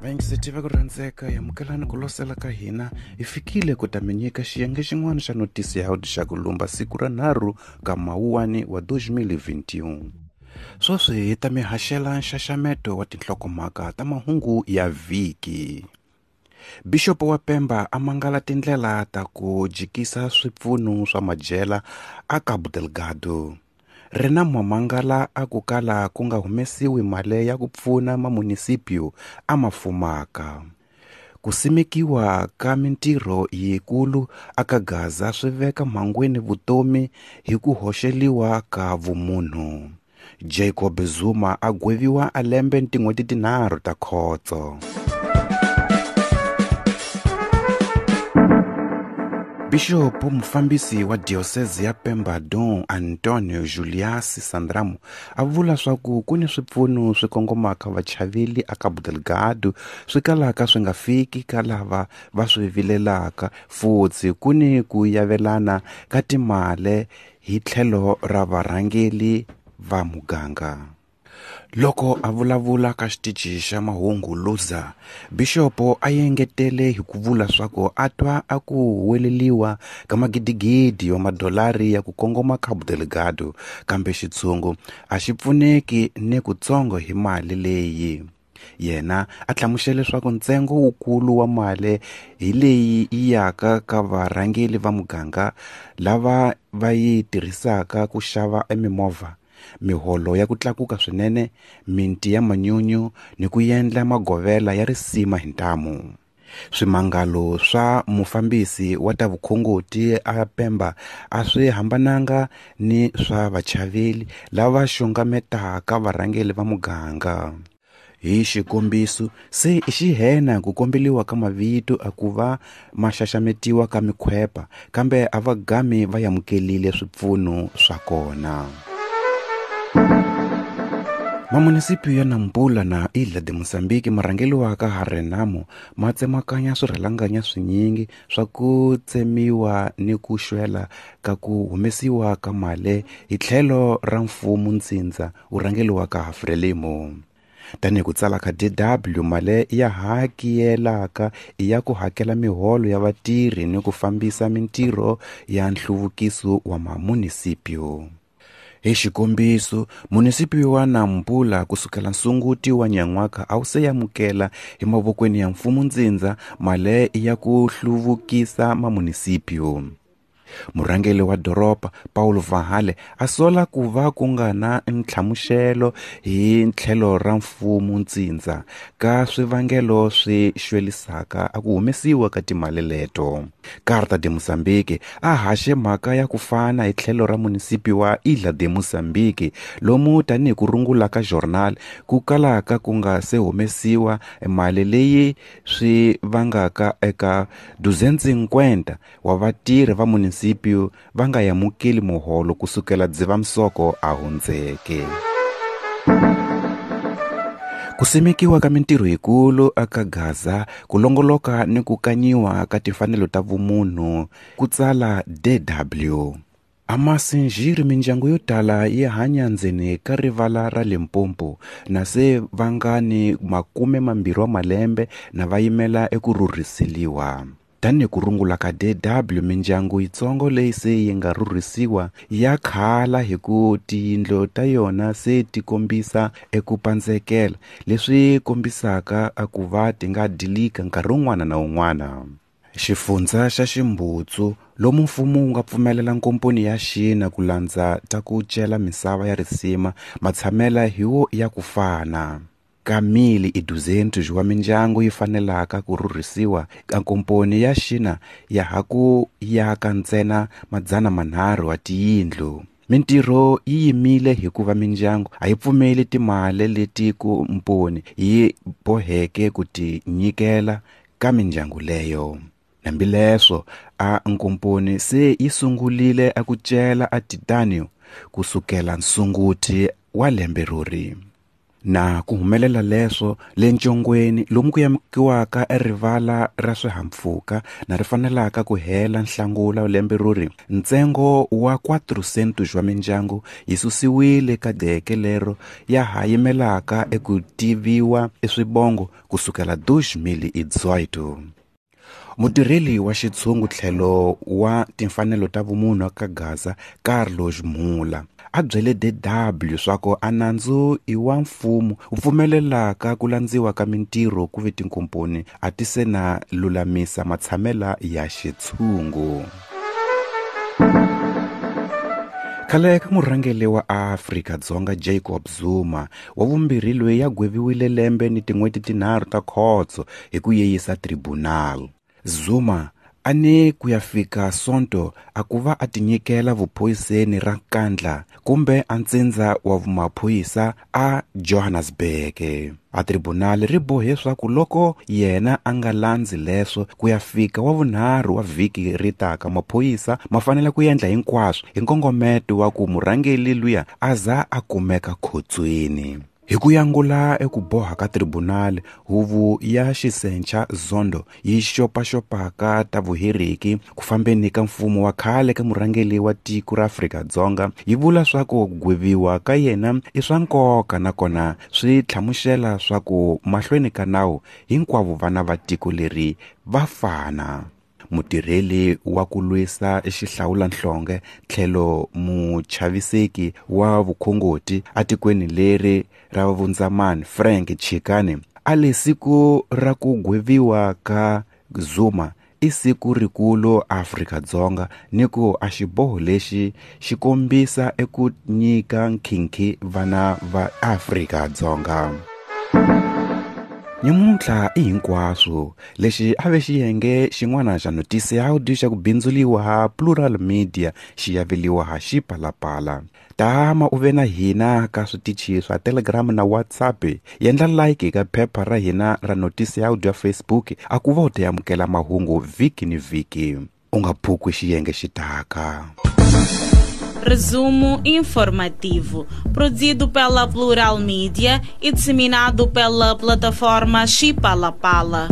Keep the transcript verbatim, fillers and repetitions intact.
Vayingiseti va ku rhandzeka amukelani ku losela ka hina hi fikile ku ta mi nyika xiyenge xin'wana xa notisi ya xa ku lumba siku ra nharhu ka mawuwani wa twenty twenty-one. Sweswi hi ta mi haxela nxaxameto wa tinhlokomhaka ta mahungu ya vhiki. Bishop wa Pemba a mangala tindlela ta ku jikisa swipfuno swa majela a Cabo Delgado. Renamo mangala a ku kala ku nga humesiwi mali ya ku pfuna mamunisipio a ma fumaka. Ku simekiwa ka mintirho yikulu aka Gaza swi veka mhangwini vutomi hi ku hoxeliwa ka vumunhu. Jacob Zuma a gweviwa a lembe tin'hweti tinharhu ta khotso. Bishop mufambisi wa diocese ya Pemba Don Antonio Julius Sandramo a vula swaku ku ni swipfuno swi kongomaka vachaveli a Cabo Delgado swi kalaka swi nga fiki ka lava va swi vilelaka futhi ku ni ku yavelana ka timale hi tlhelo ra varhangeli va muganga. Loko a vulavula ka xitichi xa mahungu Luza, Bishop a engetele hi ku vula swaku a twa a ku huweleliwa ka magidigidi wa madolari ya ku kongoma Cabo Delgado, kambe xitshungu a xi pfuneki ni kutsongo hi mali leyi. Yena a hlamusele leswaku ntsengo wukulu wa mali hi leyi yi yaka ka varhangeli va muganga lava va yi tirhisaka ku xava emimovha, miholo ya ku tlakuka swinene, minti ya manyunyu ni ku endla magovela ya risima hi ntamu. Swimangalo swa mufambisi wa ta vukhongoti a Pemba a swi hambananga ni swa vachaveli lava xungametaka varhangeli va muganga. Hi xikombiso, se i xihena ku kombeliwa ka mavito a ku va ma xaxametiwa ka mikhwepa, kambe a va gami va amukelile swipfuno swa kona. Mamunisipio ya Nampula na Ilha de Moçambique marhangeliwaka ha Renamo ma tsemakanya swirhalanganya swinyingi swa ku tsemiwa ni ku xwela ka ku humesiwa ka mali hi tlhelo ra mfumo ntsindza wu rhangeliwaka ha Frelimo. Tanihi ku tsala ka D W, mali ya hakiyelaka i ya ku hakela miholo ya vatirhi ni ku fambisa mintirho ya nhluvukiso wa mamunisipio. Hi xikombiso, munisipio wa Nampula kusukela nsunguti wa nyan'waka a wu se amukela hi mavokweni ya mfumo ntsindza mali ya ku hluvukisa mamunisipio. Murhangeri wa doroba Paulo Vahale a sola ku va ku nga na ntlhamuxelo hi tlhelo ra mfumo ntsindza ka swivangelo swi xwelisaka a ku humesiwa ka timali leto. Carta de Moçambique a haxe mhaka ya ku fana hi tlhelo ra munisipio wa Ilha de Moçambique lomu tanihi ku rungula ka journal ku kalaka ku nga se humesiwa mali leyi swi vangaka eka duzense cinquenta wa vatirhi va munisipio va nga amukeli muholo kusukela Dzivamisoko a hundzeke. Ku simekiwa ka mintirho yikulu aka Gaza, ku longoloka ni ku kanyiwa ka timfanelo ta vumunhu, ku tsala D W. Amasinjiri mindyangu yo tala yi hanya ndzeni ka rivala ra Limpopo na se va nga ni makume mambirhi wa malembe na va yimela eku rhurhiseliwa. Tanihi ku rungula ka D W, mindyangu yitsongo leyi se yi nga rhurhisiwa ya khala hi ku tiyindlu ta yona se ti kombisa eku pandzekela, leswi kombisaka a ku va ti nga dilika nkarhi wun'wana na wun'wana. Xifundza xa Ximbutsu, lomu mfumo wu nga pfumelela nkomponi ya Xina ku landza ta ku cela misava ya risima matshamela hi wo ya ku fana. Ka mili i duzentos wa mindyangu yi fanelaka ku rhurhisiwa ka nkomponi ya Xina ya ha ku yaka ntsena madzana manharhu wa tiyindlu. Mintirho yi yimile hikuva mindyangu a yi pfumeli timali leti ku mponi yi boheke ku ti nyikela ka mindyangu leyo. Hambileswo, a nkomponi se yi sungulile a ku cela a titanium kusukela nsunguti wa lembe rori. Na ku humelela leswo le ncongweni lomu ku yamukiwaka erivala ra swihahampfhuka na ri fanelaka ku hela nhlangula lembe ruri ntsengo wa quatrocentos wa mindyangu yi susiwile ka deke lero ya ha yimelaka eku tiviwa eswibongo kusukela dois mil e dezoito. Mutirheli wa xitshungu tlhelo wa timfanelo ta vumunhu ka Gaza Carlos Mula a byele D W swa a nandzu i wa mfumo wu pfumelelaka ku landziwa ka mintirho ku ve tinkomponi a ti se na lulamisa matshamela ya xitshungu. Khale ka murhangeri wa Afrika-Dzonga Jacob Zuma wa vumbirhi loyi ya gweviwile lembe ni tin'hweti tinharhu ta khotso hi ku yeyisa tribunal. Zuma a ni ku ya fika Sonto a ku va a tinyikela vuphoyiseni ra Nkandla kumbe a ntsindza wa maphorisa a Johannesburg. A tribunal ri bohe swa ku loko yena a nga landzi leswo ku ya fika wa vunharhu wa vhiki ri taka maphorisa ma fanele ku endla hinkwaswo hi nkongometo wa ku murhangeri luya a za a kumeka khotsweni. Hi ku yangula eku boha ka tribunal huvo ya xisencha Zondo yi xopaxopaka ta vuheriki ku fambeni ka mfumo wa khale ka murhangeri wa tiko ra Afrika-Dzonga yi vula swa ku gweviwa ka yena i swa nkoka nakona swi tlhamuxela swa ku mahlweni ka nawu hinkwavo vana va tiko leri va fana. Mutirheli wa ku lwisa xihlawulanhlonge tlhelo muchaviseki wa vukhongoti atikweni leri ra vundzamani Frank Chikane a le siku ra ku gweviwa ka Zuma i siku rikulu Afrika-Dzonga ni ku a xiboho lexi xi kombisa eku nyika nkhinkhi vana va Afrika-Dzonga. Nyamuntlha i hinkwaswo lexi a ve xiyenge xin'wana xa notisi ya audio xa ku bindzuliwa ha Plural Media xi yaveliwa ha Xipalapala. Tama u ve na hina ka switichi swa Telegram na WhatsApp. Yendla like ka phepha ra hina ra notisi ya audio ya Facebook a ku va u ta amukela mahungu vhiki ni vhiki. U nga phukwi xiyenge xitaka. Resumo informativo, produzido pela Plural Mídia e disseminado pela plataforma Xipalapala.